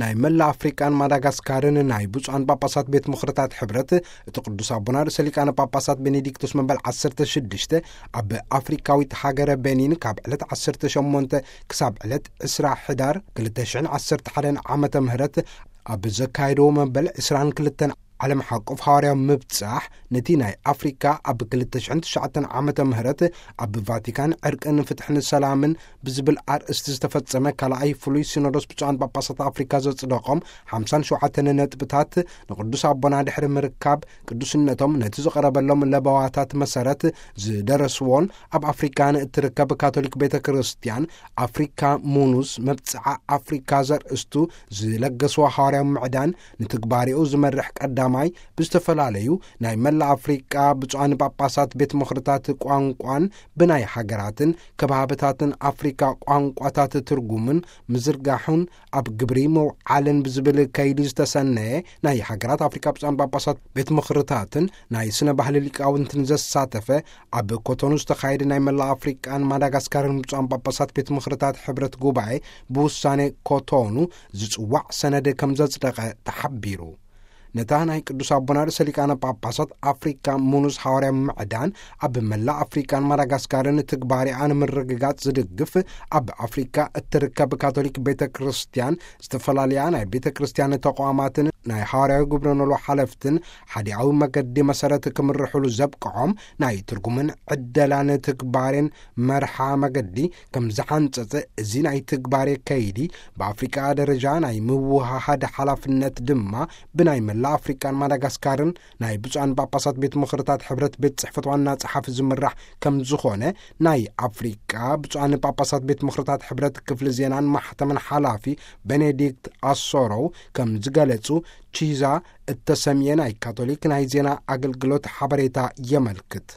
ናይ መላ ኣፍሪቃን ማዳጋስካርን ናይ ብፁዓን ጳጳሳት ቤት ምኽርታት ሕብረት፣ እቲ ቅዱስ ኣቦና ርእሰ ሊቃነ ጳጳሳት ቤኔዲክቶስ መበል ዓሰርተ ሽዱሽተ ኣብ ኣፍሪካዊት ሃገረ ቤኒን ካብ ዕለት ዓሰርተ ሸሞንተ ክሳብ ዕለት ዕስራ ሕዳር ክልተ ሽሕን ዓሰርተ ሓደን ዓመተ ምህረት ኣብ ዘካየድዎ መበል ዕስራን ክልተን ዓለም ሓቆፍ ሃዋርያዊ ምብጻሕ፣ ነቲ ናይ ኣፍሪካ ኣብ ክልተ ሽሕን ትሽዓተን ዓመተ ምህረት ኣብ ቫቲካን ዕርቅን ፍትሕን ሰላምን ብዝብል ኣርእስቲ ዝተፈጸመ ካልኣይ ፍሉይ ሲኖዶስ ብፁዓን ጳጳሳት ኣፍሪካ ዘጽደቖም ሓምሳን ሸውዓተን ነጥብታት፣ ንቅዱስ ኣቦና ድሕሪ ምርካብ ቅዱስነቶም ነቲ ዝቐረበሎም ለበዋታት መሰረት ዝደረስዎን ኣብ ኣፍሪካ ንእትርከብ ካቶሊክ ቤተ ክርስቲያን ኣፍሪካ ሙኑስ መብጽዓ ኣፍሪካ ዘርእስቱ ዝለገስዎ ሃዋርያዊ ምዕዳን ንትግባሬኡ ዝመርሕ ቀዳማይ ብዝተፈላለዩ ናይ መላእ ኣፍሪቃ ብፁዓን ጳጳሳት ቤት ምኽርታት ቋንቋን ብናይ ሃገራትን ከባብታትን ኣፍሪካ ቋንቋታት ትርጉምን ምዝርጋሑን ኣብ ግብሪ ምውዓልን ብዝብል ከይዲ ዝተሰነየ ናይ ሃገራት ኣፍሪካ ብፁዓን ጳጳሳት ቤት ምኽርታትን ናይ ስነ ባህሊ ሊቃውንትን ዘሳተፈ ኣብ ኮቶኑ ዝተኻየደ ናይ መላእ ኣፍሪቃን ማዳጋስካርን ብፁዓን ጳጳሳት ቤት ምኽርታት ሕብረት ጉባኤ ብውሳኔ ኮቶኑ ዝጽዋዕ ሰነድ ከም ዘጽደቐ ተሓቢሩ። ነታ ናይ ቅዱስ ኣቦና ርእሰ ሊቃነ ጳጳሳት ኣፍሪካ ሙኑስ ሃዋርያ ምዕዳን ኣብ መላእ ኣፍሪቃን ማዳጋስካርን ትግባሬኣ ንምርግጋጽ ዝድግፍ ኣብ ኣፍሪካ እትርከብ ካቶሊክ ቤተ ክርስቲያን ዝተፈላለያ ናይ ቤተ ክርስቲያን ተቋማትን ናይ ሃዋርያዊ ግብረ ኖሎ ሓለፍትን ሓዲኣዊ መገዲ መሰረት ክምርሕሉ ዘብቅዖም ናይ ትርጉምን ዕደላን ትግባሬን መርሓ መገዲ ከም ዝሓንጸጸ፣ እዚ ናይ ትግባሬ ከይዲ ብኣፍሪቃ ደረጃ ናይ ምውሃሃድ ሓላፍነት ድማ ብናይ መላ ኣፍሪቃን ማዳጋስካርን ናይ ብፁዓን ጳጳሳት ቤት ምኽርታት ሕብረት ቤት ጽሕፈት ዋና ጸሓፊ ዝምራሕ ከም ዝኾነ ናይ ኣፍሪቃ ብፁዓን ጳጳሳት ቤት ምኽርታት ሕብረት ክፍሊ ዜናን ማሕተምን ሓላፊ ቤኔዲክት ኣሶሮው ከም ዝገለጹ ቺዛ እተሰምየ ናይ ካቶሊክ ናይ ዜና ኣገልግሎት ሓበሬታ የመልክት።